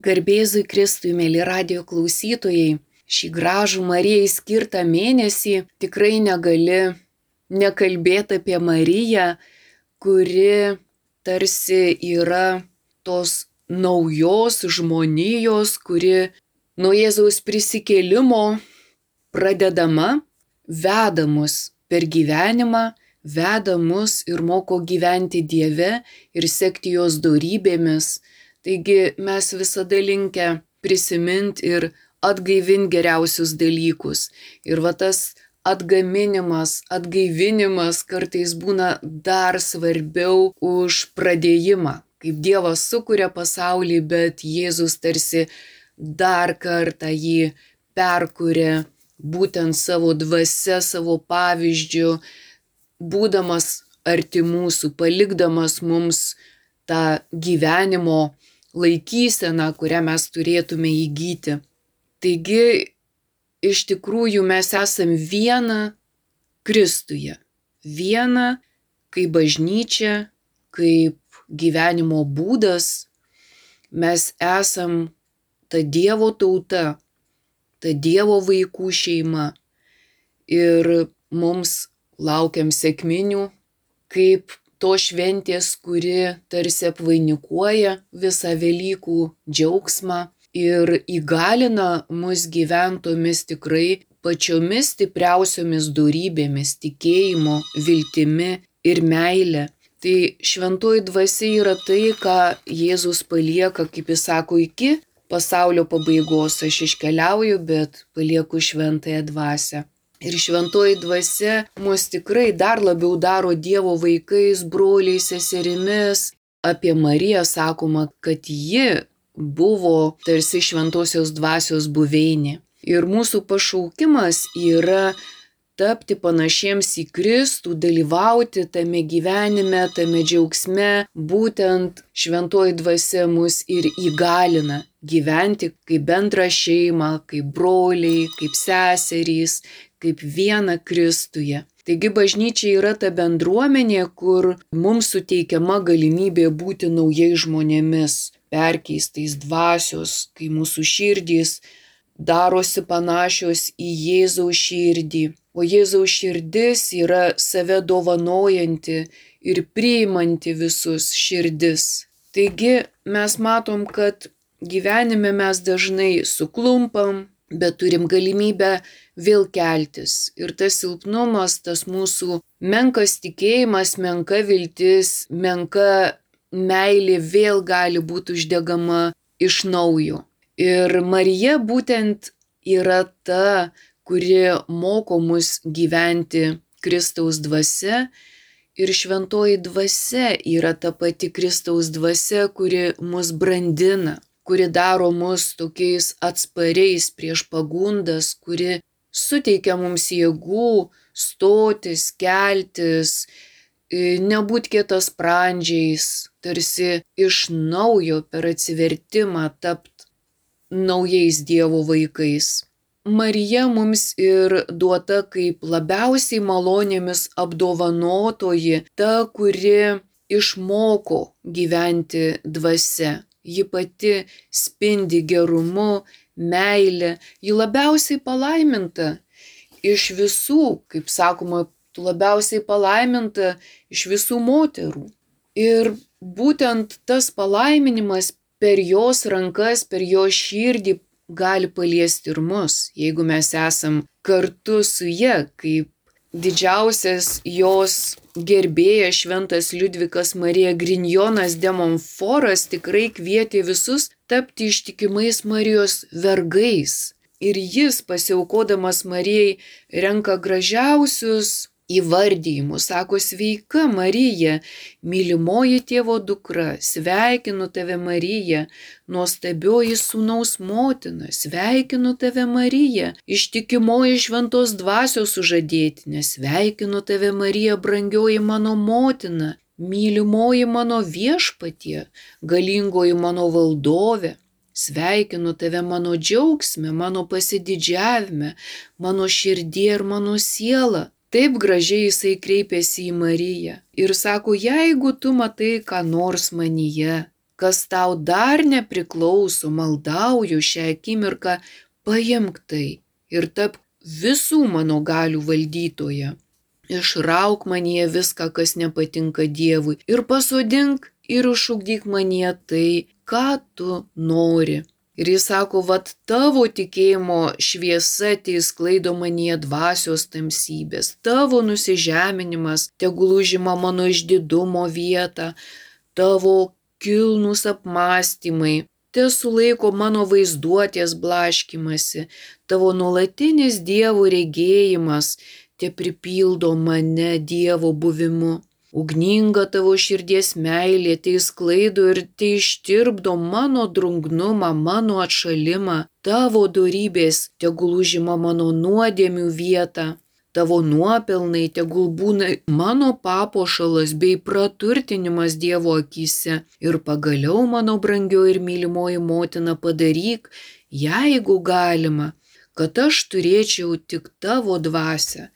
Garbėzui Kristui, mėly radijo klausytojai, šį gražų Marijai skirtą mėnesį tikrai negali nekalbėti apie Mariją, kuri tarsi yra tos naujos žmonijos, kuri nuo Jėzaus prisikėlimo pradedama, veda mus per gyvenimą, veda mus ir moko gyventi Dieve ir sekti jos dorybėmis. Taigi mes visada linkę prisiminti ir atgaivinti geriausius dalykus. Ir va tas atgaivinimas kartais būna dar svarbiau už pradėjimą. Kaip Dievas sukuria pasaulį, bet Jėzus tarsi dar kartą jį perkuria būtent savo dvasia, savo pavyzdžiu, būdamas arti mūsų, palikdamas mums tą gyvenimo laikyseną, kurią mes turėtume įgyti. Taigi, iš tikrųjų mes esam viena Kristuje. Viena kaip bažnyčia, kaip gyvenimo būdas. Mes esam ta Dievo tauta, ta Dievo vaikų šeima. Ir mums laukiam sekminių, kaip to šventės, kuri tarsi apvainikuoja visą Velykų džiaugsmą ir įgalina mus gyventomis tikrai pačiomis stipriausiomis dorybėmis, tikėjimu, viltimi ir meile. Tai šventoji dvasia yra tai, ką Jėzus palieka, kaip jis sako, iki pasaulio pabaigos aš iškeliauju, bet palieku šventąją dvasią. Ir šventoji dvasia mus tikrai dar labiau daro Dievo vaikais, broliais, seserimis. Apie Mariją sakoma, kad ji buvo tarsi šventosios dvasios buveinė. Ir mūsų pašaukimas yra tapti panašiems į Kristų, dalyvauti tame gyvenime, tame džiaugsme. Būtent šventoji dvasia mus ir įgalina gyventi kaip bendrą šeimą, kaip broliai, kaip seserys, kaip viena Kristuje. Taigi bažnyčia yra ta bendruomenė, kur mums suteikiama galimybė būti naujais žmonėmis, perkeistais dvasios, kai mūsų širdys darosi panašios į Jėzaus širdį. O Jėzaus širdis yra save dovanojanti ir priimanti visus širdis. Taigi mes matom, kad gyvenime mes dažnai suklumpam, bet turim galimybę vėl keltis. Ir tas silpnumas, tas mūsų menkas tikėjimas, menka viltis, menka meilė vėl gali būti uždegama iš naujo. Ir Marija būtent yra ta, kuri moko mus gyventi Kristaus dvasia. Ir šventoji dvasia yra ta pati Kristaus dvasia, kuri mus brandina, kuri daro mus tokiais atspariais prieš pagundas, kuri suteikia mums jėgų stotis, keltis, nebūt kietasprandžiais, tarsi iš naujo per atsivertimą tapt naujais Dievo vaikais. Marija mums ir duota kaip labiausiai malonėmis apdovanotoji, ta, kuri išmoko gyventi dvasia. Ji pati spindi gerumu, meile, ji labiausiai palaiminta iš visų, kaip sakoma, tu labiausiai palaiminta iš visų moterų. Ir būtent tas palaiminimas per jos rankas, per jos širdį gali paliesti ir mus, jeigu mes esam kartu su ja, kaip didžiausias jos gerbėjas šventas Liudvikas Marija Grignonas de Montfortas tikrai kvietė visus tapti ištikimais Marijos vergais. Ir jis, pasiaukodamas Marijai, renka gražiausius įvardijimus. Sako, sveika Marija, mylimoji Tėvo dukra, sveikinu tave Marija, nuostabioji sūnaus motina, sveikinu tave Marija, ištikimoji šventos dvasios sužadėtinė, sveikinu tave Marija, brangioji mano motina, mylimoji mano viešpatie, galingoji mano valdove. Sveikinu tave mano džiaugsme, mano pasididžiavime, mano širdie ir mano siela. Taip gražiai jisai kreipėsi į Mariją ir sako, jeigu tu matai ką nors manyje, kas tau dar nepriklauso, maldauju šią akimirką, paimk tai ir tapk visų mano galių valdytoja. Išrauk manyje viską, kas nepatinka Dievui, ir pasodink ir išugdyk manyje tai, ką tu nori. Ir jis sako, vat tavo tikėjimo šviesa teisklaido manyje dvasios tamsybės, tavo nusižeminimas tegul užima mano išdidumo vietą, tavo kilnūs apmąstymai tesulaiko mano vaizduotės blaškymasi, tavo nuolatinis Dievo regėjimas te pripildo mane Dievo buvimu. Ugninga tavo širdies meilė teisklaido ir teištirpdo mano drungnumą, mano atšalimą, tavo dorybės tegul užima mano nuodėmių vietą. Tavo nuopelnai tegul būna mano papuošalas bei praturtinimas Dievo akyse. Ir pagaliau, mano brangioji ir mylimoji motina, padaryk, jeigu galima, kad aš turėčiau tik tavo dvasią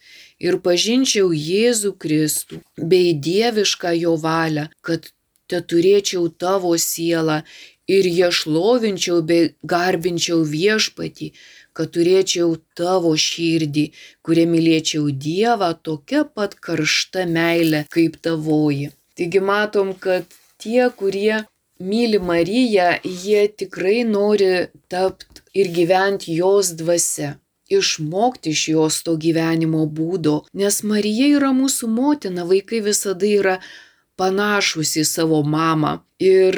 ir pažinčiau Jėzų Kristų bei dievišką jo valią, kad te turėčiau tavo sielą ir ją šlovinčiau bei garbinčiau viešpatį, kad turėčiau tavo širdį, kuria mylėčiau Dievą tokia pat karšta meilė kaip tavoji. Taigi matom, kad tie, kurie myli Mariją, jie tikrai nori tapti ir gyventi jos dvasia, išmokti iš jos to gyvenimo būdo, nes Marija yra mūsų motina, vaikai visada yra panašus į savo mamą. Ir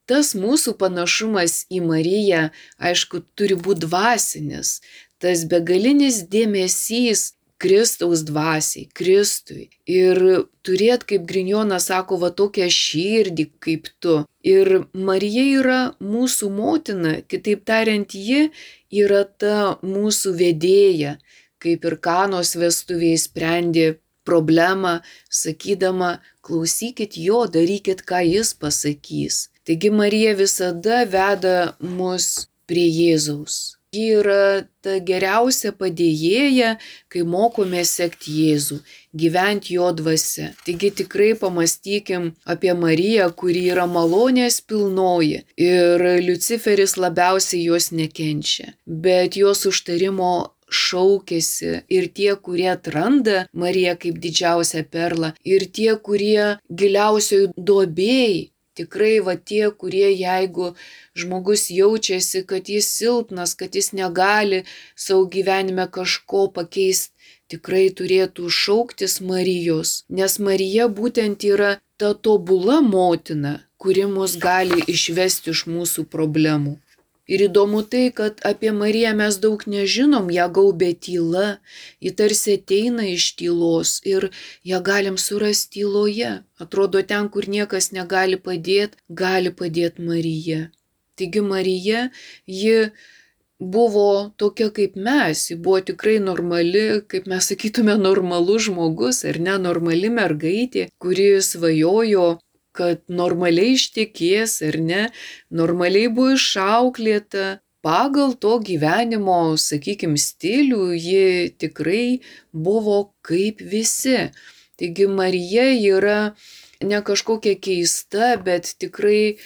tas mūsų panašumas į Mariją, aišku, turi būti dvasinis, tas begalinis dėmesys Kristaus dvasiai, Kristui. Ir turėt, kaip Grignonas sako, va tokią širdį kaip tu. Ir Marija yra mūsų motina, kitaip tariant, ji yra ta mūsų vedėja, kaip ir Kanos vestuvėje sprendė problemą, sakydama, klausykit jo, darykit, ką jis pasakys. Taigi Marija visada veda mus prie Jėzaus. Ji yra ta geriausia padėjėja, kai mokome sekti Jėzų, gyventi jo dvasia. Taigi tikrai pamąstykim apie Mariją, kuri yra malonės pilnoji ir Liuciferis labiausiai jos nekenčia, bet jos užtarimo šaukėsi ir tie, kurie atranda Mariją kaip didžiausią perlą, ir tie, kurie giliausioj duobėj. Tikrai va tie, kurie jeigu žmogus jaučiasi, kad jis silpnas, kad jis negali savo gyvenime kažko pakeisti, tikrai turėtų šauktis Marijos, nes Marija būtent yra ta tobula motina, kuri mus gali išvesti iš mūsų problemų. Ir įdomu tai, kad apie Mariją mes daug nežinom, ją gaubia tyla, ji tarsi ateina iš tylos ir ją galim surasti tyloje. Atrodo, ten, kur niekas negali padėti Marija. Taigi Marija, ji buvo tokia kaip mes, ji buvo tikrai normali, kaip mes sakytume, normalus žmogus, ar ne, normali mergaitė, kuri svajojo, kad normaliai ištekės, ar ne, normaliai buvo išauklėta. Pagal to gyvenimo, sakykim, stilių ji tikrai buvo kaip visi. Taigi Marija yra ne kažkokia keista, bet tikrai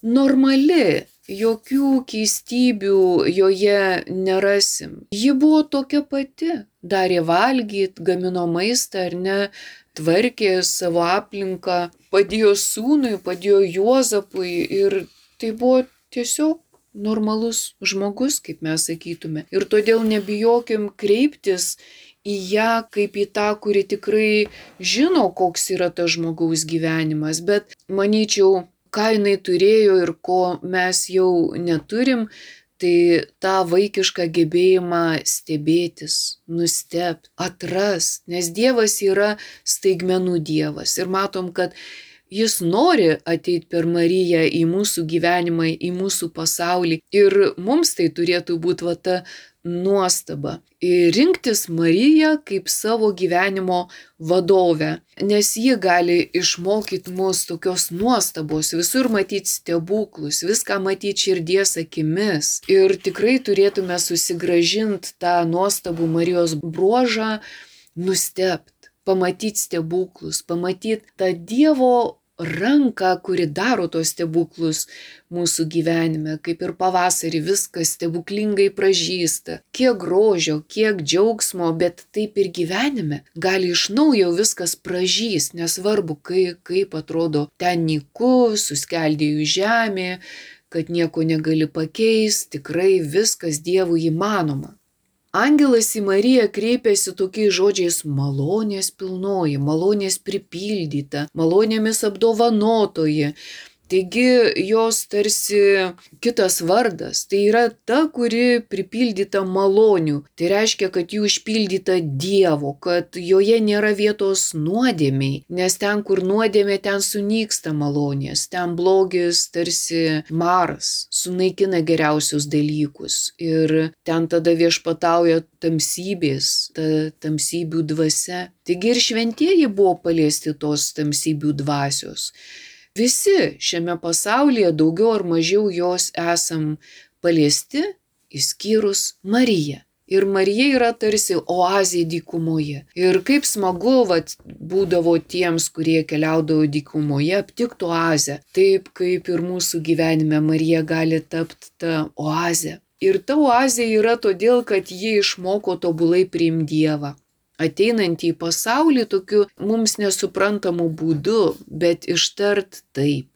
normali. Jokių keistybių joje nerasim. Ji buvo tokia pati. Darė valgyt, gamino maistą, ar ne, tvarkė savo aplinką, padėjo sūnui, padėjo Juozapui ir tai buvo tiesiog normalus žmogus, kaip mes sakytume. Ir todėl nebijokim kreiptis į ją kaip į tą, kuri tikrai žino, koks yra tas žmogaus gyvenimas, bet manyčiau, ką jinai turėjo ir ko mes jau neturim, tai tą vaikišką gebėjimą stebėtis, nustebti, atrast, nes Dievas yra staigmenų Dievas. Ir matom, kad jis nori ateiti per Mariją į mūsų gyvenimą, į mūsų pasaulį. Ir mums tai turėtų būti va ta nuostaba. Ir rinktis Mariją kaip savo gyvenimo vadovę, nes ji gali išmokyti mus tokios nuostabos, visur matyti stebuklus, viską matyti širdies akimis. Ir tikrai turėtume susigrąžinti tą nuostabų Marijos bruožą, nustebt, pamatyti stebuklus, pamatyti tą Dievo ranką, kuri daro tos stebuklus mūsų gyvenime, kaip ir pavasarį viskas stebuklingai pražysta, kiek grožio, kiek džiaugsmo, bet taip ir gyvenime gali iš naujo viskas pražys, nesvarbu, kaip atrodo ten nyku, suskeldėjų žemė, kad nieko negali pakeisti, tikrai viskas Dievui įmanoma. Angelas į Mariją kreipėsi tokiais žodžiais: malonės pilnoji, malonės pripildyta, malonėmis apdovanotoji. Taigi jos tarsi kitas vardas, tai yra ta, kuri pripildyta malonių. Tai reiškia, kad jų išpildyta Dievo, kad joje nėra vietos nuodėmiai, nes ten, kur nuodėmė, ten sunyksta malonės, ten blogis tarsi maras, sunaikina geriausius dalykus ir ten tada viešpatauja tamsybės, ta tamsybių dvasia. Taigi ir šventieji buvo paliesti tos tamsybių dvasios. Visi šiame pasaulyje daugiau ar mažiau jos esam paliesti, išskyrus Mariją. Ir Marija yra tarsi oazė dykumoje. Ir kaip smagu būdavo tiems, kurie keliaudavo dykumoje, aptikti oazę. Taip kaip ir mūsų gyvenime Marija gali tapti tą oazę. Ir ta oazė yra todėl, kad ji išmoko tobulai priimti Dievą. Ateinantį į pasaulį tokiu mums nesuprantamu būdu, bet ištart taip.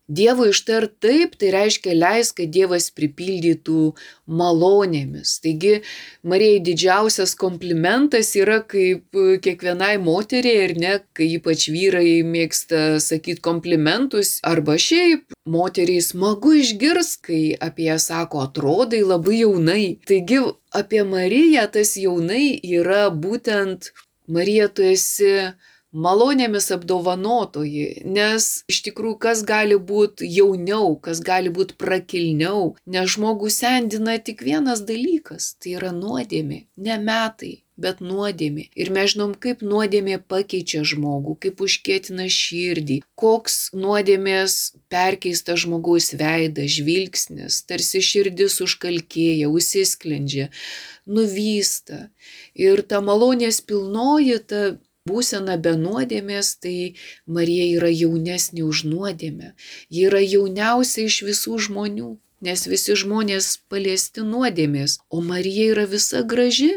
Dievo ištart taip, tai reiškia leis, kad Dievas pripildytų malonėmis. Taigi Marijai didžiausias komplimentas yra kaip kiekvienai moteriai, ir ne, kai ypač vyrai mėgsta sakyti komplimentus, arba šiaip moteriai smagu išgirsti, kai apie ją sako: atrodai labai jaunai. Taigi apie Mariją tas jaunai yra būtent: Marija, tu esi malonėmis apdovanotoji, nes iš tikrųjų kas gali būti jauniau, kas gali būti prakilniau, nes žmogų sendina tik vienas dalykas, tai yra nuodėmė, ne metai, bet nuodėmė. Ir mes žinom, kaip nuodėmė pakeičia žmogų, kaip užkietina širdį, koks nuodėmės perkeista žmogaus veidas, žvilgsnis, tarsi širdis užkalkėja, užsisklendžia, nuvysta. Ir ta malonės pilnoji, ta būsena be nuodėmės, tai Marija yra jaunesnė už nuodėmę. Ji yra jauniausia iš visų žmonių, nes visi žmonės paliesti nuodėmės, o Marija yra visa graži.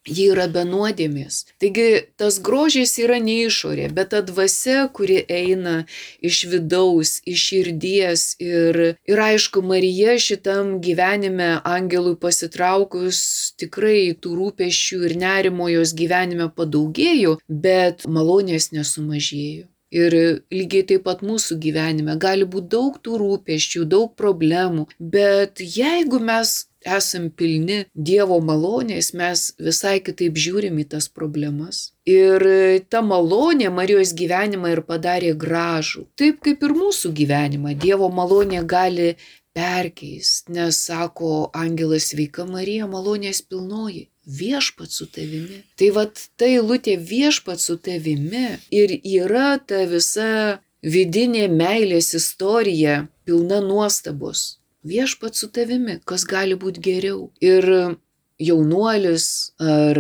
Ji yra be nuodėmės. Taigi tas grožis yra ne išorė, bet ta dvasia, kuri eina iš vidaus, iš širdies. Ir aišku, Marija šitam gyvenime angelui pasitraukus tikrai tų rūpesčių ir nerimo jos gyvenime padaugėjo, bet malonės nesumažėjo. Ir lygiai taip pat mūsų gyvenime gali būti daug tų rūpesčių, daug problemų, bet jeigu mes esam pilni Dievo malonės, mes visai kitaip žiūrim į tas problemas. Ir ta malonė Marijos gyvenimą ir padarė gražų. Taip kaip ir mūsų gyvenimą, Dievo malonė gali perkeisti, nes sako angelas: sveika Marija, malonės pilnoji, viešpats su tavimi. Tai ta eilutė viešpats su tavimi ir yra ta visa vidinė meilės istorija, pilna nuostabos. Viešpats su tavimi, kas gali būti geriau. Ir jaunuolis ar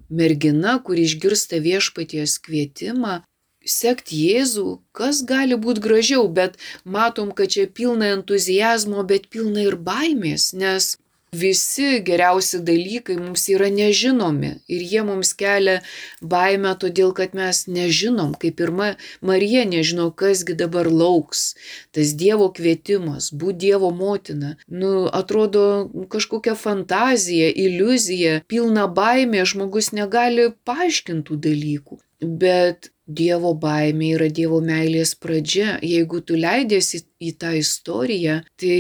mergina, kuri išgirsta viešpaties kvietimą sekti Jėzų, kas gali būti gražiau, bet matom, kad čia pilna entuzijazmo, bet pilna ir baimės, nes visi geriausi dalykai mums yra nežinomi ir jie mums kelia baimę, todėl kad mes nežinom, kaip ir Marija nežino, kasgi dabar lauks. Tas Dievo kvietimas, būti Dievo motina, atrodo kažkokia fantazija, iliuzija, pilna baimė, žmogus negali paaiškintų dalykų. Bet Dievo baimė yra Dievo meilės pradžia. Jeigu tu leidiesi į tą istoriją, tai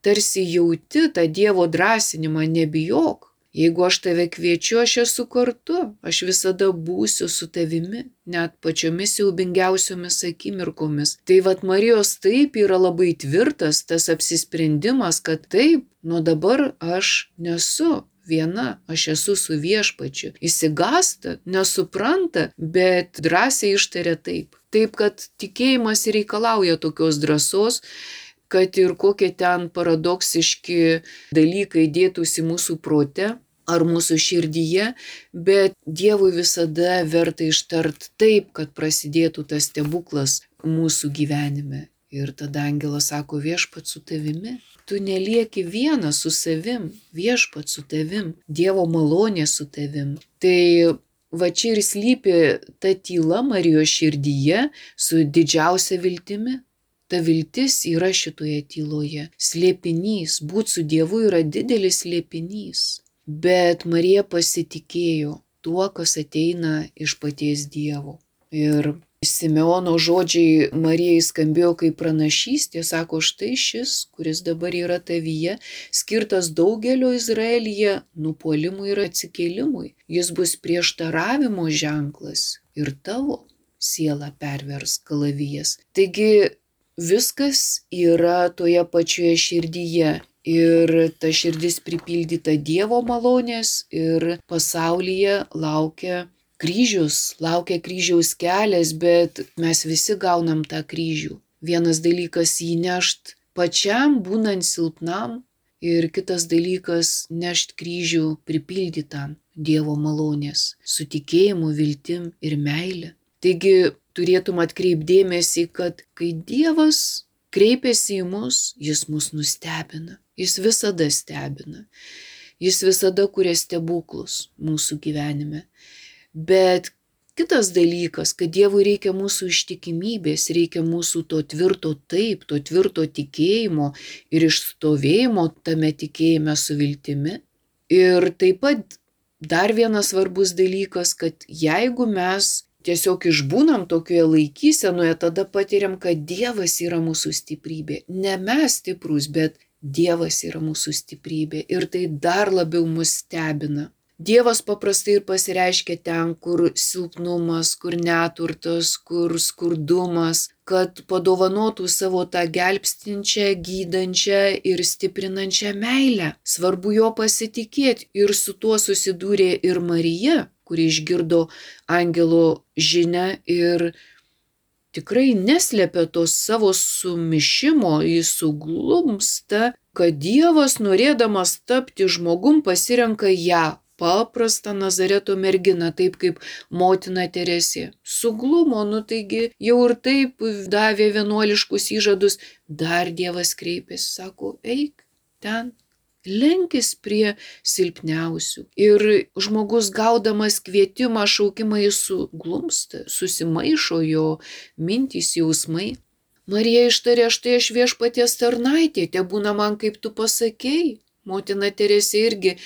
tarsi jauti tą Dievo drąsinimą: nebijok. Jeigu aš tave kviečiu, aš esu kartu, aš visada būsiu su tavimi, net pačiomis siaubingiausiomis akimirkomis. Tai Marijos taip yra labai tvirtas tas apsisprendimas, kad taip, nuo dabar aš nesu viena, aš esu su viešpačiu. Išsigąsta, nesupranta, bet drąsiai ištaria taip. Taip, kad tikėjimas reikalauja tokios drąsos, kad ir kokie ten paradoksiški dalykai dėtųsi mūsų prote ar mūsų širdyje, bet Dievui visada verta ištart taip, kad prasidėtų tas stebuklas. mūsų gyvenime. Ir tada angelas sako, viešpat su tavimi. Tu nelieki vienas su savim, viešpat su tavim, Dievo malonė su tavim. Tai va čia ir slypi ta tyla Marijos širdyje su didžiausia viltimi. Ta viltis yra šitoje tyloje. Slėpinys, būt su Dievu yra didelis slėpinys. Bet Marija pasitikėjo tuo, kas ateina iš paties Dievo. Ir Simeono žodžiai Marijai skambėjo kaip pranašystė, sako, štai šis, kuris dabar yra tavyje, skirtas daugelio Izraelyje nupuolimui ir atsikėlimui. Jis bus prieštaravimo ženklas ir tavo sielą pervers kalavijas. Taigi viskas yra toje pačioje širdyje. Ir ta širdis pripildyta Dievo malonės ir pasaulyje laukia kryžiaus kelias, bet mes visi gaunam tą kryžių. Vienas dalykas jį nešt pačiam, būnant silpnam, ir kitas dalykas nešt kryžių pripildytam Dievo malonės, su tikėjimu, viltim ir meile. Taigi turėtum atkreipdėmėsi, kad kai Dievas kreipiasi į mus, jis mus nustebina. Jis visada stebina. Jis visada kuria stebuklus mūsų gyvenime. Bet kitas dalykas, kad Dievui reikia mūsų ištikimybės, reikia mūsų to tvirto taip, to tvirto tikėjimo ir išstovėjimo tame tikėjime su viltimi. Ir taip pat dar vienas svarbus dalykas, kad jeigu mes tiesiog išbūnam tokioje laikysenoje, tada patiriam, kad Dievas yra mūsų stiprybė. Ne mes stiprus, bet Dievas yra mūsų stiprybė. Ir tai dar labiau mus stebina. Dievas paprastai ir pasireiškia ten, kur silpnumas, kur neturtas, kur skurdumas, kad padovanotų savo tą gelbstinčią, gydančią ir stiprinančią meilę. Svarbu jo pasitikėti, ir su tuo susidūrė ir Marija, kuri išgirdo angelo žinią ir tikrai neslėpė to savo sumišimo, jis suglumsta, kad Dievas, norėdamas tapti žmogum, pasirenka ją, paprastą Nazareto merginą, taip kaip motina Teresė. Suglumo, taigi jau ir taip davė vienuoliškus įžadus, dar Dievas kreipėsi, sako, eik ten, lenkis prie silpniausių. Ir žmogus gaudamas kvietimą, šaukimą, jis suglumsta, susimaišo jo mintys, jausmai. Marija ištarė, štai aš viešpaties tarnaitė, tebūna man kaip tu pasakei. Motina Teresė irgi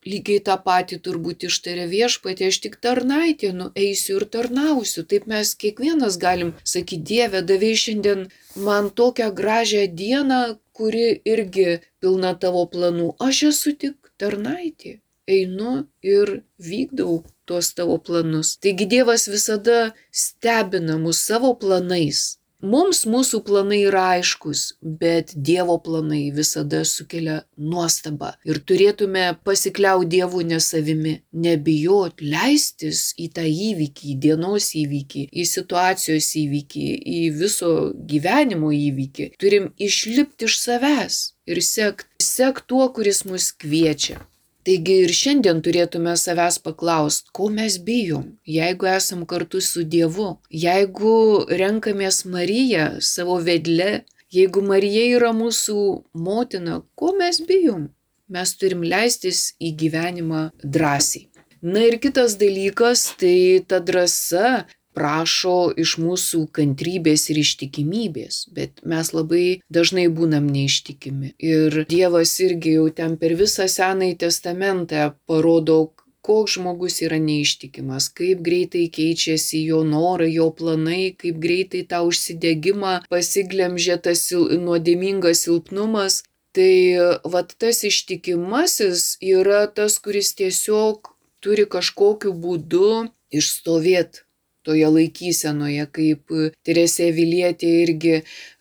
lygiai tą patį turbūt ištarė, viešpatie, aš tik tarnaitė, eisiu ir tarnausiu. Taip mes kiekvienas galim sakyti, Dieve, davei šiandien man tokią gražią dieną, kuri irgi pilna tavo planų. Aš esu tik tarnaitė, einu ir vykdau tuos tavo planus. Taigi Dievas visada stebina mus savo planais. Mums mūsų planai yra aiškus, bet Dievo planai visada sukelia nuostabą. Ir turėtume pasikliauti Dievu, ne savimi, nebijot, leistis į tą įvykį, į dienos įvykį, į situacijos įvykį, į viso gyvenimo įvykį. Turim išlipti iš savęs ir sekt tuo, kuris mus kviečia. Taigi ir šiandien turėtume savęs paklausti, ko mes bijom, jeigu esam kartu su Dievu, jeigu renkamės Mariją savo vedle, jeigu Marija yra mūsų motina, ko mes bijom? Mes turim leistis į gyvenimą drąsiai. Na ir kitas dalykas, tai ta drąsa prašo iš mūsų kantrybės ir ištikimybės, bet mes labai dažnai būnam neištikimi. Ir Dievas irgi jau ten per visą Senąjį testamentą parodo, koks žmogus yra neištikimas, kaip greitai keičiasi jo norai, jo planai, kaip greitai tą užsidegimą pasiglemžia tas nuodėmingas silpnumas. Tai tas ištikimasis yra tas, kuris tiesiog turi kažkokiu būdu išstovėti toje laikysenoje, kaip Teresė Avilietė irgi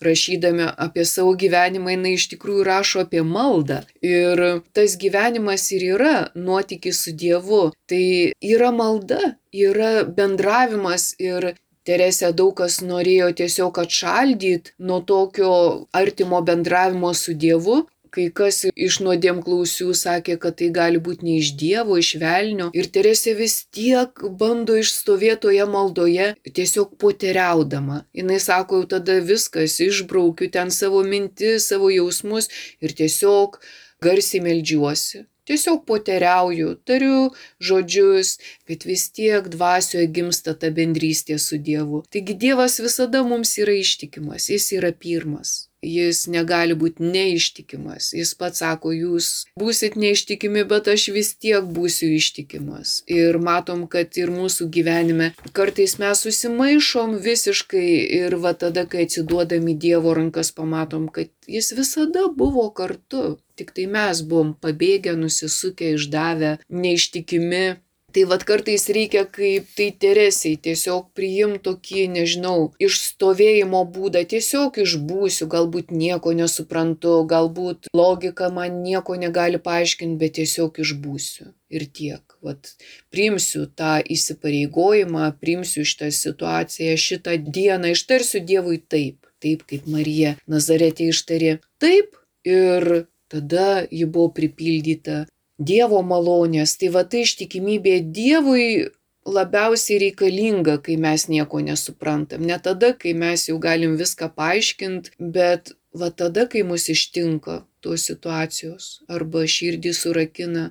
rašydama apie savo gyvenimą, jinai iš tikrųjų rašo apie maldą. Ir tas gyvenimas ir yra nuotykis su Dievu. Tai yra malda, yra bendravimas ir Teresė daug kas norėjo tiesiog atšaldyti nuo tokio artimo bendravimo su Dievu. Kai kas iš nuodėmklausių sakė, kad tai gali būti ne iš Dievo, iš velnio. Ir Teresė vis tiek bando išstovėtoje maldoje, tiesiog poteriaudama. Jis sako, jau tada viskas, išbraukiu ten savo mintis, savo jausmus ir tiesiog garsiai meldžiuosi. Tiesiog poteriauju, tariu žodžius, bet vis tiek dvasioje gimsta ta bendrystė su Dievu. Taigi Dievas visada mums yra ištikimas, jis yra pirmas. Jis negali būti neištikimas. Jis pats sako, jūs būsit neištikimi, bet aš vis tiek būsiu ištikimas. Ir matom, kad ir mūsų gyvenime kartais mes susimaišom visiškai ir va tada, kai atsiduodam į Dievo rankas, pamatom, kad jis visada buvo kartu. Tik tai mes buvom pabėgę, nusisukę, išdavę, neištikimi. Tai vat kartais reikia kaip tai Teresei tiesiog priimti tokį, nežinau, išstovėjimo būdą, tiesiog išbūsiu, galbūt nieko nesuprantu, galbūt logika man nieko negali paaiškinti, bet tiesiog išbūsiu. Ir tiek. Vat priimsiu tą įsipareigojimą, priimsiu šitą situaciją, šitą dieną, ištarsiu Dievui taip, taip kaip Marija Nazaretė ištarė taip ir tada ji buvo pripildyta Dievo malonės. Tai va tai ištikimybė Dievui labiausiai reikalinga, kai mes nieko nesuprantam. Ne tada, kai mes jau galim viską paaiškinti, bet va tada, kai mus ištinka tos situacijos. Arba širdį surakina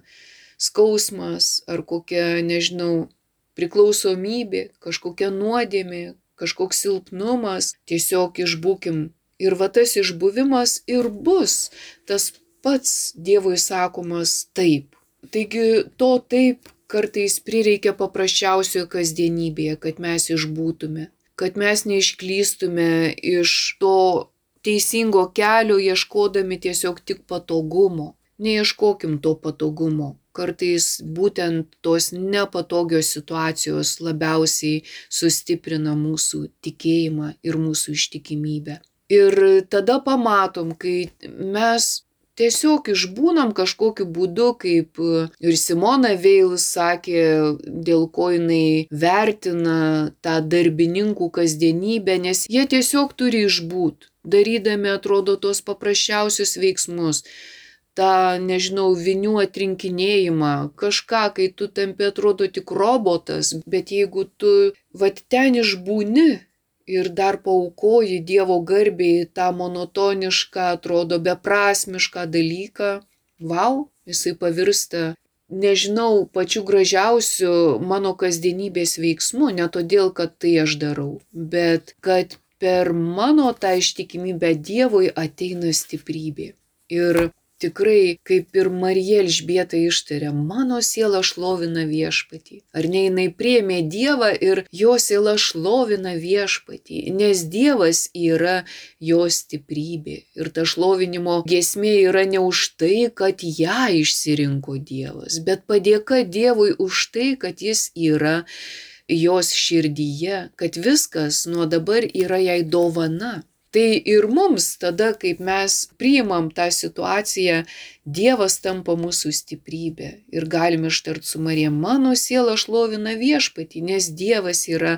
skausmas, ar kokia, nežinau, priklausomybė, kažkokia nuodėmė, kažkoks silpnumas. Tiesiog išbūkim. Ir va tas išbuvimas ir bus tas pats Dievui sakomas taip. Taigi to taip kartais prireikia paprasčiausioje kasdienybėje, kad mes išbūtume, kad mes neišklystume iš to teisingo kelio, ieškodami tiesiog tik patogumo. Neieškokim to patogumo. Kartais būtent tos nepatogios situacijos labiausiai sustiprina mūsų tikėjimą ir mūsų ištikimybę. Ir tada pamatom, kai mes tiesiog išbūnam kažkokiu būdu, kaip ir Simona Veil sakė, dėl ko jinai vertina tą darbininkų kasdienybę, nes jie tiesiog turi išbūt, darydami, atrodo, tos paprasčiausius veiksmus. tą, nežinau, vinių atrinkinėjimą, kažką, kai tu tampi, atrodo, tik robotas, bet jeigu tu vat ten išbūni ir dar paaukoji Dievo garbei tą monotonišką, atrodo, beprasmišką dalyką, vau, jisai pavirsta, nežinau, pačiu gražiausiu mano kasdienybės veiksmu, ne todėl, kad tai aš darau, bet kad per mano tą ištikimybę Dievui ateina stiprybė. Ir tikrai, kaip ir Marija Elžbieta ištarė, mano siela šlovina Viešpatį. Ar ne, jinai priėmė Dievą ir jo siela šlovina Viešpatį, nes Dievas yra jos stiprybė. Ir ta šlovinimo giesmė yra ne už tai, kad ją išsirinko Dievas, bet padėka Dievui už tai, kad jis yra jos širdyje, kad viskas nuo dabar yra jai dovana. Tai ir mums tada, kaip mes priimam tą situaciją, Dievas tampa mūsų stiprybė. Ir galime ištart su Marija, mano siela šlovina Viešpatį, nes Dievas yra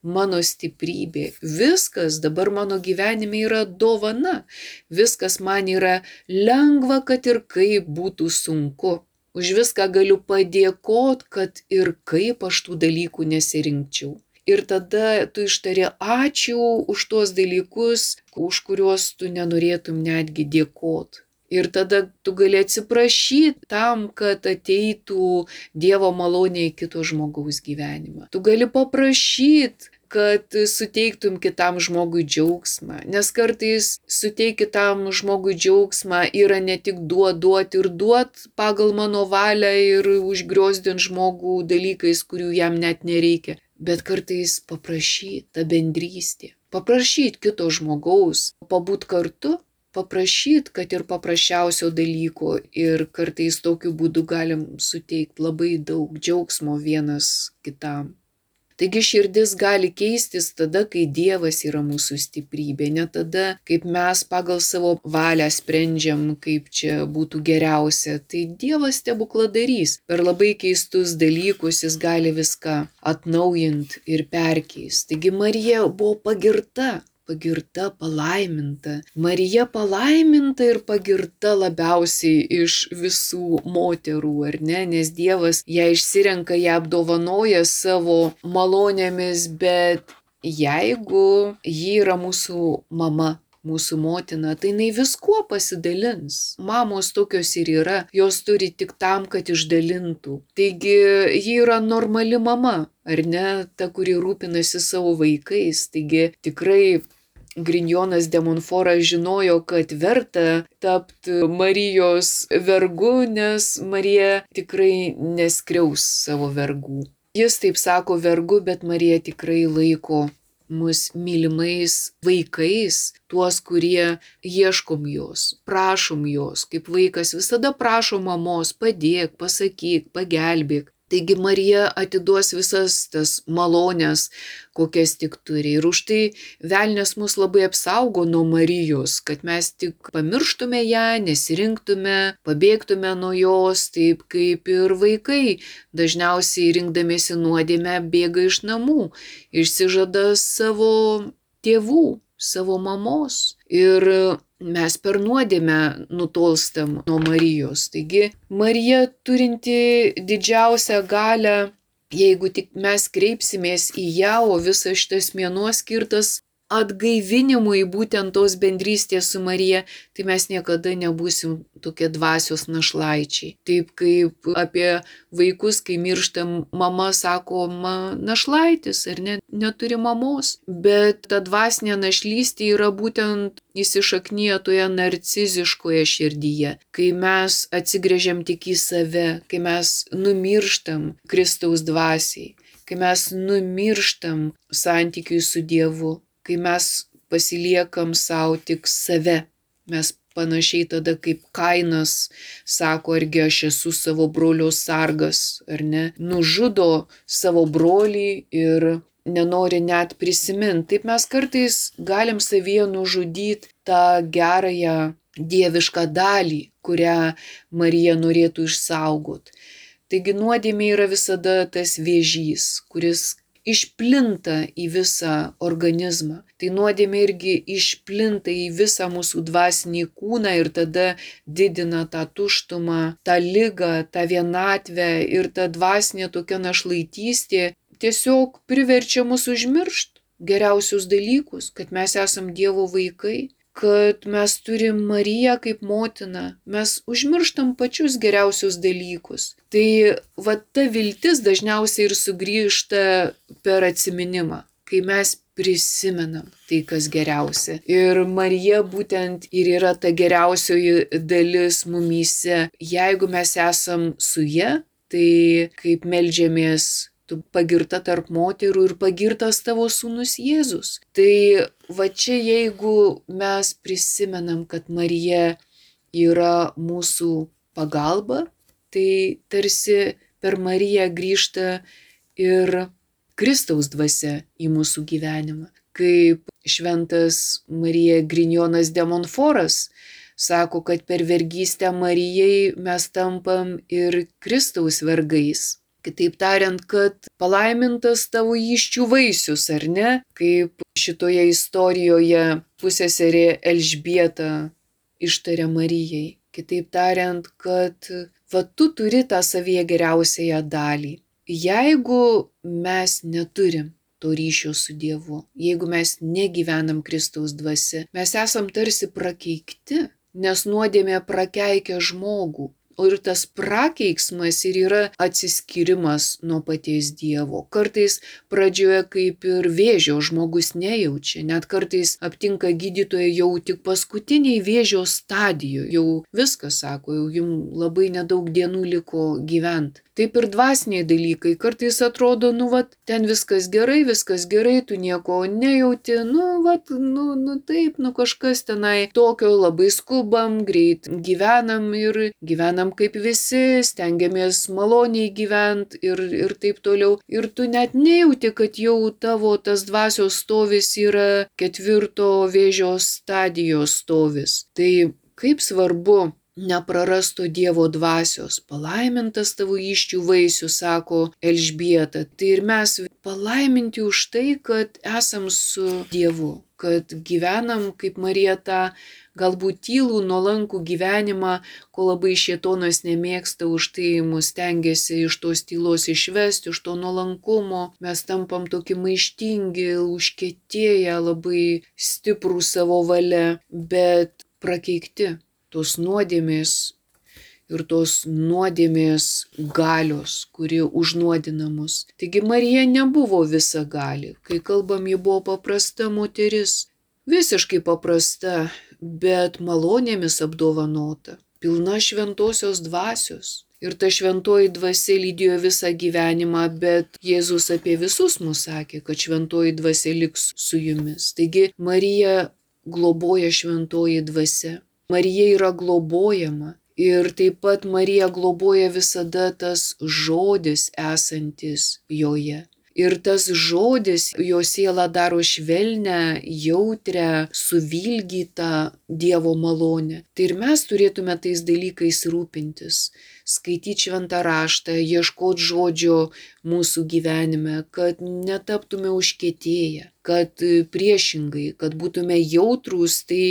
mano stiprybė. Viskas dabar mano gyvenime yra dovana. Viskas man yra lengva, kad ir kaip būtų sunku. Už viską galiu padėkot, kad ir kaip aš tų dalykų nesirinkčiau. Ir tada tu ištari ačiū už tuos dalykus, už kuriuos tu nenorėtum netgi dėkot. Ir tada tu gali atsiprašyti tam, kad ateitų Dievo malonė į kito žmogaus gyvenimą. Tu gali paprašyti, kad suteiktum kitam žmogui džiaugsmą. Nes kartais suteikti kitam žmogui džiaugsmą yra ne tik duot ir duot pagal mano valią ir užgriozdint žmogų dalykais, kurių jam net nereikia. Bet kartais paprašyti tą bendrystę, paprašyti kito žmogaus, pabūt kartu, paprašyti, kad ir paprasčiausio dalyko ir kartais tokiu būdu galim suteikti labai daug džiaugsmo vienas kitam. Taigi širdis gali keistis tada, kai Dievas yra mūsų stiprybė, ne tada, kaip mes pagal savo valią sprendžiam, kaip čia būtų geriausia. Tai Dievas stebukladarys. Per labai keistus dalykus jis gali viską atnaujinti ir perkeisti. Taigi Marija buvo pagirta. pagirta, palaiminta. Marija palaiminta ir pagirta labiausiai iš visų moterų, ar ne? Nes Dievas ją išsirenka, ją apdovanoja savo malonėmis, bet jeigu ji yra mūsų mama, mūsų motina, tai jinai viskuo pasidalins. Mamos tokios ir yra, jos turi tik tam, kad išdalintų. Taigi ji yra normali mama, ar ne, ta, kuri rūpinasi savo vaikais. Taigi tikrai Grignonas de Montfortas žinojo, kad verta tapti Marijos vergu, nes Marija tikrai neskriaus savo vergų. Jis taip sako vergu, bet Marija tikrai laiko mus mylimais vaikais, tuos, kurie ieškom jos, prašom jos, kaip vaikas visada prašo mamos, padėk, pasakyk, pagelbėk. Taigi Marija atiduos visas tas malonės, kokias tik turi. Ir už tai velnias mus labai apsaugo nuo Marijos, kad mes tik pamirštume ją, nesirinktume, pabėgtume nuo jos, taip kaip ir vaikai dažniausiai rinkdamiesi nuodėmę bėga iš namų, išsižada savo tėvų, savo mamos. Ir mes per nuodėmę nutolstam nuo Marijos. Taigi Marija turinti didžiausią galią, jeigu tik mes kreipsimės į ją, o visas šitas mėnuo skirtas atgaivinimui būtent tos bendrystės su Marija, tai mes niekada nebūsim tokie dvasios našlaičiai. Taip kaip apie vaikus, kai mirštam, mama sako, našlaitis, ar ne, neturi mamos. Bet ta dvasinė našlystė yra būtent įsišaknyja toje narciziškoje širdyje, kai mes atsigręžiam tik į save, kai mes numirštam Kristaus dvasiai, kai mes numirštam santykiui su Dievu, kai mes pasiliekam savo tik save. Mes panašiai tada kaip Kainas sako, argi aš esu savo brolio sargas, ar ne, nužudo savo brolį ir nenori net prisiminti. Taip mes kartais galim savyje nužudyti tą gerąją dievišką dalį, kurią Marija norėtų išsaugoti. Taigi nuodėmė yra visada tas vėžys, kuris išplinta į visą organizmą. Tai nuodėmė irgi išplinta į visą mūsų dvasinį kūną ir tada didina tą tuštumą, tą ligą, tą vienatvę ir ta dvasinė tokia našlaitystė tiesiog priverčia mus užmiršti geriausius dalykus, kad mes esam Dievo vaikai, kad mes turim Mariją kaip motiną, mes užmirštam pačius geriausius dalykus. Tai va ta viltis dažniausiai ir sugrįžta per atsiminimą, kai mes prisimenam tai, kas geriausia. Ir Marija būtent ir yra ta geriausioji dalis mumyse. Jeigu mes esam su ja, tai kaip meldžiamės, tu pagirta tarp moterų ir pagirtas tavo sūnus Jėzus. Tai va čia jeigu mes prisimenam, kad Marija yra mūsų pagalba, tai tarsi per Mariją grįžta ir Kristaus dvasia į mūsų gyvenimą. Kaip šventas Marija Grignonas de Montfortas sako, kad per vergystę Marijai mes tampam ir Kristaus vergais. Kitaip tariant, kad palaimintas tavo įsčių vaisius, ar ne? Kaip šitoje istorijoje pusseserė Elžbieta ištarė Marijai. Kitaip tariant, kad va tu turi tą savyje geriausiąją dalį. Jeigu mes neturim to ryšio su Dievu, jeigu mes negyvenam Kristaus dvasia, mes esam tarsi prakeikti, nes nuodėmė prakeikia žmogų. O ir tas prakeiksmas ir yra atsiskyrimas nuo paties Dievo. Kartais pradžioje kaip ir vėžio žmogus nejaučia, net kartais aptinka gydytoją jau tik paskutiniai vėžio stadijoje. Jau viskas, sako, jau jums labai nedaug dienų liko gyventi. Taip ir dvasiniai dalykai. Kartais atrodo, ten viskas gerai, tu nieko nejauti, taip, kažkas tenai tokio, labai skubam, greit gyvenam ir gyvenam kaip visi, stengiamės maloniai gyventi ir taip toliau. Ir tu net nejauti, kad jau tavo tas dvasios stovis yra 4 vėžio stadijos stovis. Tai kaip svarbu neprarasto Dievo dvasios. Palaimintas tavo įsčių vaisius, sako Elžbieta. Tai ir mes palaiminti už tai, kad esam su Dievu, kad gyvenam kaip Marija tą galbūt tylų, nuolankų gyvenimą, ko labai šėtonas nemėgsta, už tai mus stengiasi iš tos tylos išvesti, iš to nuolankumo. Mes tampam tokie maištingi, užkietėję, labai stiprų savo valia, bet prakeikti tos nuodėmės ir tos nuodėmės galios, kuri užnuodina mus. Taigi Marija nebuvo visagali. Kai kalbam, ji buvo paprasta moteris. Visiškai paprasta, bet malonėmis apdovanota. Pilna šventosios dvasios. Ir ta šventoji dvasia lydėjo visą gyvenimą, bet Jėzus apie visus mus sakė, kad šventoji dvasia liks su jumis. Taigi Marija globoja šventoji dvasia. Marija yra globojama. Ir taip pat Marija globoja visada tas žodis esantis joje. Ir tas žodis jo sielą daro švelnę, jautrę, suvilgytą Dievo malonę. Tai ir mes turėtume tais dalykais rūpintis. Skaityti šventą raštą, ieškoti žodžio mūsų gyvenime, kad netaptume užkietėję, kad priešingai, kad būtume jautrūs tai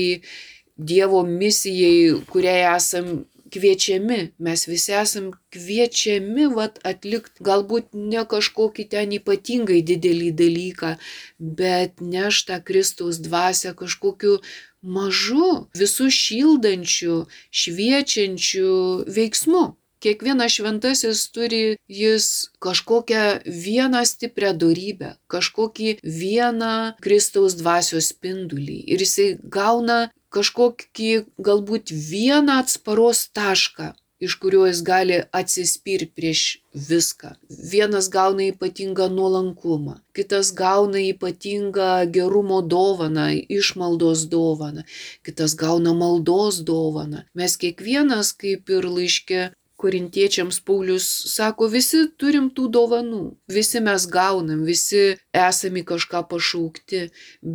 Dievo misijai, kuriai esam kviečiami. Mes visi esam kviečiami atlikti galbūt ne kažkokį ten ypatingai didelį dalyką, bet nešti Kristaus dvasią kažkokiu mažu, visus šildančiu, šviečiančiu veiksmu. Kiekvienas šventasis turi jis kažkokią vieną stiprią dorybę, kažkokį vieną Kristaus dvasios spindulį. Ir jisai gauna kažkokį galbūt vieną atsparos tašką, iš kurio jis gali atsispirti prieš viską. Vienas gauna ypatingą nuolankumą, kitas gauna ypatingą gerumo dovaną, išmaldos dovaną, kitas gauna maldos dovaną. Mes kiekvienas, kaip ir laiške Korintiečiams Paulius sako, visi turim tų dovanų, visi mes gaunam, visi esame kažką pašaukti,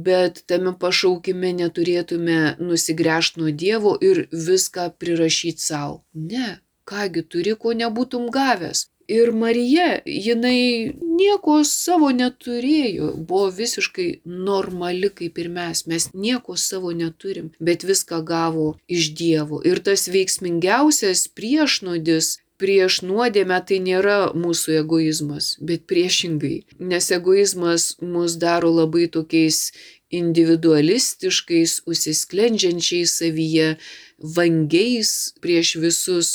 bet tame pašaukime neturėtume nusigręžti nuo Dievo ir viską prirašyti savo. Ne, kągi turi, ko nebūtum gavęs. Ir Marija, jinai nieko savo neturėjo, buvo visiškai normali kaip ir mes nieko savo neturim, bet viską gavo iš Dievo. Ir tas veiksmingiausias priešnuodis prieš nuodėmę tai nėra mūsų egoizmas, bet priešingai, nes egoizmas mus daro labai tokiais individualistiškais, užsisklendžiančiais savyje, vangiais prieš visus.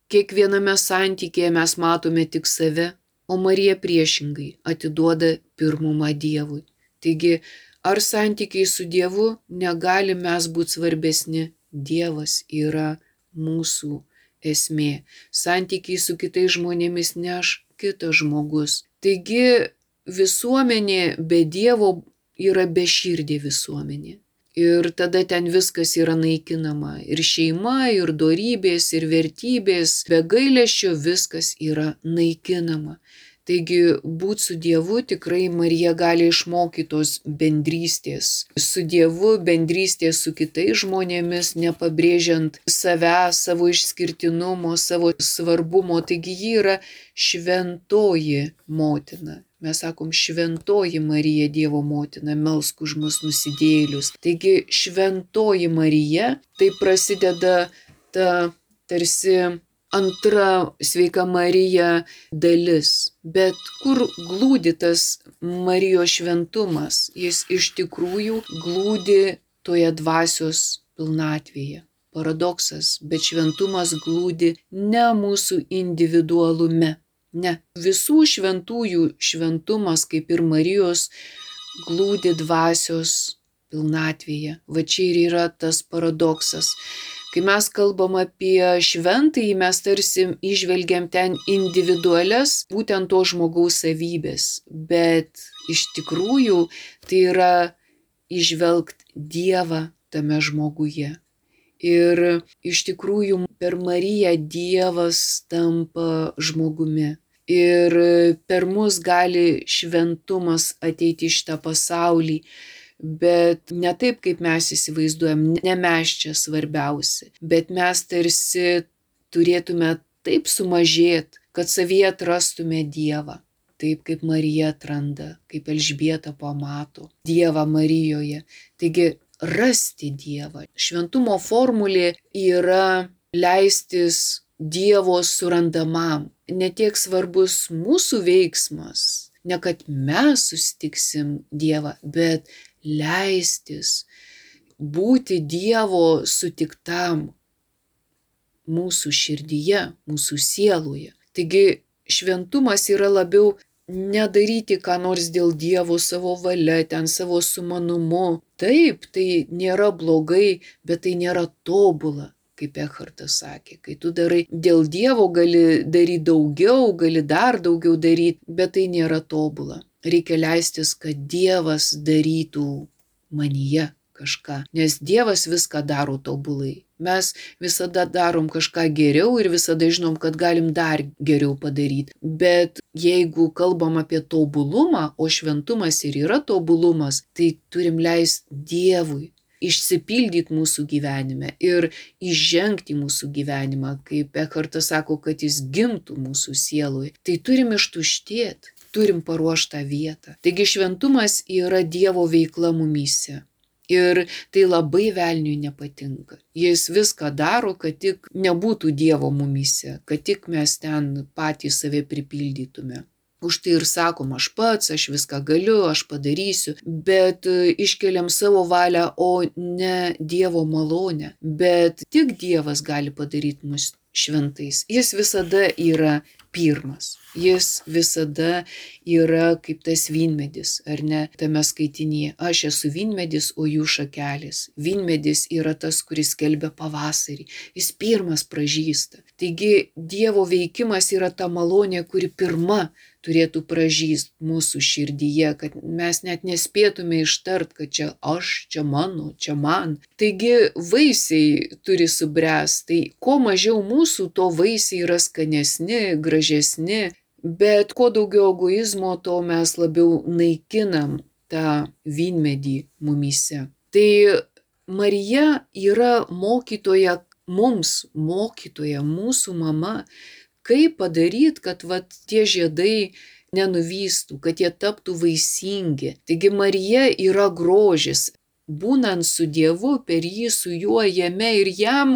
Kiekviename santykėje mes matome tik save, o Marija priešingai atiduoda pirmumą Dievui. Taigi, ar santykiai su Dievu negali mes būti svarbesni? Dievas yra mūsų esmė. Santykiai su kitais žmonėmis neš kitas žmogus. Taigi, visuomenė be Dievo yra beširdė visuomenė. Ir tada ten viskas yra naikinama. Ir šeima, ir dorybės, ir vertybės. Be gailesčio viskas yra naikinama. Taigi būt su Dievu tikrai Marija gali išmokyti tos bendrystės. Su Dievu bendrystės su kitais žmonėmis, nepabrėžiant savęs, savo išskirtinumo, savo svarbumo. Taigi ji yra šventoji motina. Mes sakom, šventoji Marija Dievo motina, melsk už mus nusidėjėlius. Taigi šventoji Marija, tai prasideda ta tarsi antra sveika Marija dalis. Bet kur glūdi tas Marijos šventumas? Jis iš tikrųjų glūdi toje dvasios pilnatvėje. Paradoksas, bet šventumas glūdi ne mūsų individualume. Ne, visų šventųjų šventumas, kaip ir Marijos, glūdi dvasios pilnatvėje. Va čia ir yra tas paradoksas. Kai mes kalbam apie šventąjį, mes tarsi įžvelgiam ten individualias būtent to žmogaus savybės, bet iš tikrųjų tai yra įžvelgti Dievą tame žmoguje. Ir iš tikrųjų per Mariją Dievas tampa žmogumi. Ir per mus gali šventumas ateiti į šitą pasaulį. bet ne taip, kaip mes įsivaizduojam, ne mes čia svarbiausi, bet mes tarsi turėtume taip sumažėti, kad savyje atrastume Dievą. Taip kaip Marija atranda, kaip Elžbieta pamato Dievą Marijoje. Taigi rasti Dievą. Šventumo formulė yra leistis Dievo surandamam. Ne tiek svarbus mūsų veiksmas, ne kad mes susitiksim Dievą, bet leistis būti Dievo sutiktam mūsų širdyje, mūsų sieloje. Taigi šventumas yra labiau nedaryti ką nors dėl Dievo savo valia, ten savo sumanumu. Taip, tai nėra blogai, bet tai nėra tobula, kaip Ekhartas sakė. Kai tu darai dėl Dievo, gali daryti daugiau, gali dar daugiau daryti, bet tai nėra tobula. Reikia leistis, kad Dievas darytų manyje kažką, nes Dievas viską daro tobulai. Mes visada darom kažką geriau ir visada žinom, kad galim dar geriau padaryti. Bet jeigu kalbam apie tobulumą, o šventumas ir yra tobulumas, tai turim leisti Dievui išsipildyti mūsų gyvenime ir įžengti mūsų gyvenimą, kaip Ekhartas sako, kad jis gimtų mūsų sieloje. Tai turim ištuštėti, turim paruoštą vietą. Taigi šventumas yra Dievo veikla mumyse. Ir tai labai velniui nepatinka. Jis viską daro, kad tik nebūtų Dievo mumyse, kad tik mes ten patys save pripildytume. Už tai ir sakom, aš pats, aš viską galiu, aš padarysiu, bet iškeliam savo valią, o ne Dievo malonę. Bet tik Dievas gali padaryti mus šventais. Jis visada yra pirmas. Jis visada yra kaip tas vynmedis, ar ne, tame skaitinyje. Aš esu vynmedis, o jų šakelės. Vynmedis yra tas, kuris skelbia pavasarį. Jis pirmas pražysta. Taigi Dievo veikimas yra ta malonė, kuri pirma turėtų pražyst mūsų širdyje, kad mes net nespėtume ištart, kad čia aš, čia mano, čia man. Taigi vaisiai turi subręst. Tai kuo mažiau mūsų, to vaisiai yra skanesni, gražesni. Bet kuo daugiau egoizmo, to mes labiau naikinam tą vynmedį mumyse. Tai Marija yra mokytoja mums, mokytoja, mūsų mama, kaip padaryti, kad tie žiedai nenuvystų, kad jie taptų vaisingi. Taigi Marija yra grožis. Būnant su Dievu, per jį, su juo, jame ir jam,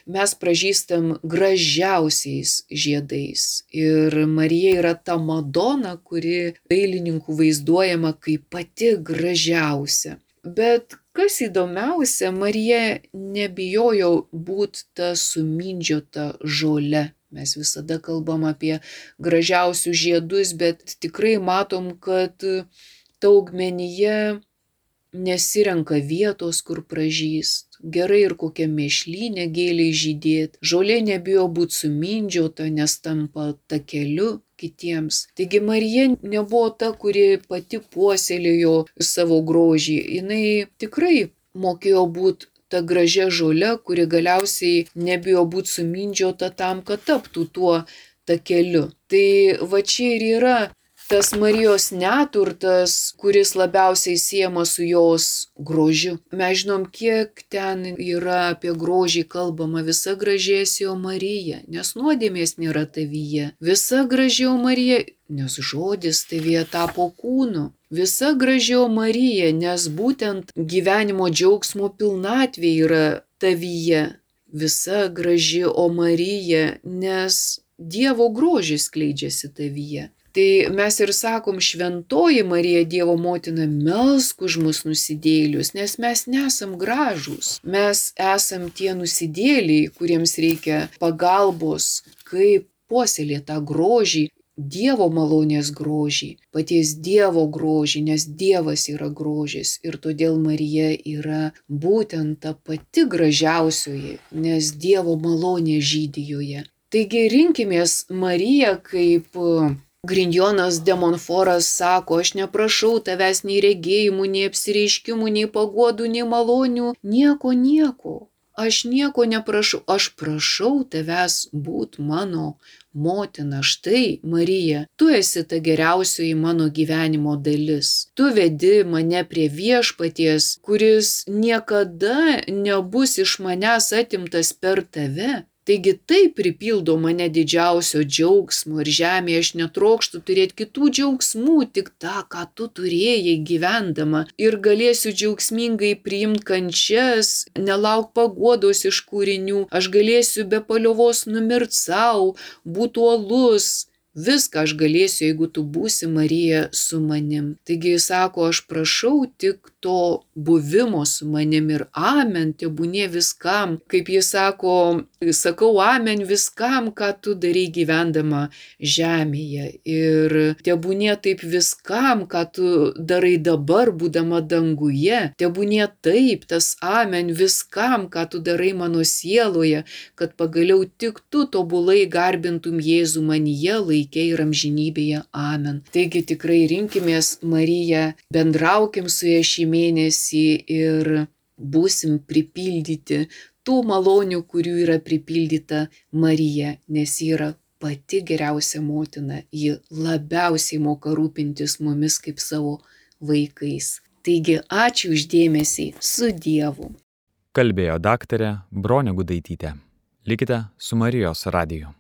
mes pražystam gražiausiais žiedais. Ir Marija yra ta Madona, kuri dailininkų vaizduojama kaip pati gražiausia. Bet kas įdomiausia, Marija nebijojo būti ta sumindžiota žole. Mes visada kalbam apie gražiausius žiedus, bet tikrai matom, kad ta augmenija nesirenka vietos, kur pražyst. Gerai ir kokia mėšlynė gėlei žydėt. Žolė nebijo būti sumindžiota, nes tampa takeliu kitiems. Taigi Marija nebuvo ta, kuri pati puoselėjo savo grožį. Jinai tikrai mokėjo būti ta gražia žole, kuri galiausiai nebijo būti sumindžiota tam, kad taptų tuo takeliu. Tai va čia ir yra tas Marijos neturtas, kuris labiausiai siejamas su jos grožiu. Mes žinom, kiek ten yra apie grožį kalbama. Visa gražėsio Marija, nes nuodėmės nėra tavyje. Visa gražio Marija, nes žodis tavyje tapo kūnu. Visa gražio Marija, nes būtent gyvenimo džiaugsmo pilnatvė yra tavyje. Visa graži o Marija, nes Dievo grožis skleidžiasi tavyje. Tai mes ir sakom, šventoji Marija, Dievo motina, melsk už mus nusidėlius, nes mes nesam gražūs. Mes esam tie nusidėliai, kuriems reikia pagalbos, kaip puoselėti tą grožį, Dievo malonės grožį, paties Dievo grožį, nes Dievas yra grožis ir todėl Marija yra būtent ta pati gražiausioji, nes Dievo malonė žydi joje. Taigi rinkimės Mariją, kaip Grigionas de Montfortas sako, aš neprašau tavęs nei regėjimų, nei apsireiškimų, nei paguodų, nei malonių, nieko. aš nieko neprašau, aš prašau tavęs būt mano motina. Štai, Marija, tu esi ta geriausioji mano gyvenimo dalis. Tu vedi mane prie viešpaties, kuris niekada nebus iš manęs atimtas per tave. Taigi tai pripildo mane didžiausio džiaugsmo ir žemėje aš netrokštu turėti kitų džiaugsmų, tik tą, ką tu turėjai gyvendama. Ir galėsiu džiaugsmingai priimti kančias, nelauk paguodos iš kūrinių, aš galėsiu be paliovos numirt savo, būti uolus. Viską aš galėsiu, jeigu tu būsi, Marija, su manim. Taigi jis sako, aš prašau tik to buvimo su manim ir amen, tebūnie viskam. Kaip jis sako, sakau amen viskam, ką tu darai gyvendama žemėje. Ir tebūnie taip viskam, ką tu darai dabar, būdama danguje. Tebūnie taip, tas amen viskam, ką tu darai mano sieloje, kad pagaliau tik tu tobulai garbintum Jėzų manyje, laike ir amžinybėje. Amen. Taigi tikrai rinkimės Mariją, bendraukim su ja šį mėnesį ir būsim pripildyti tų malonių, kurių yra pripildyta Marija, nes ji yra pati geriausia motina, ji labiausiai moka rūpintis mumis kaip savo vaikais. Taigi ačiū už dėmesį, su Dievu. Kalbėjo daktarė Bronė Gudaitytė. Likite su Marijos radiju.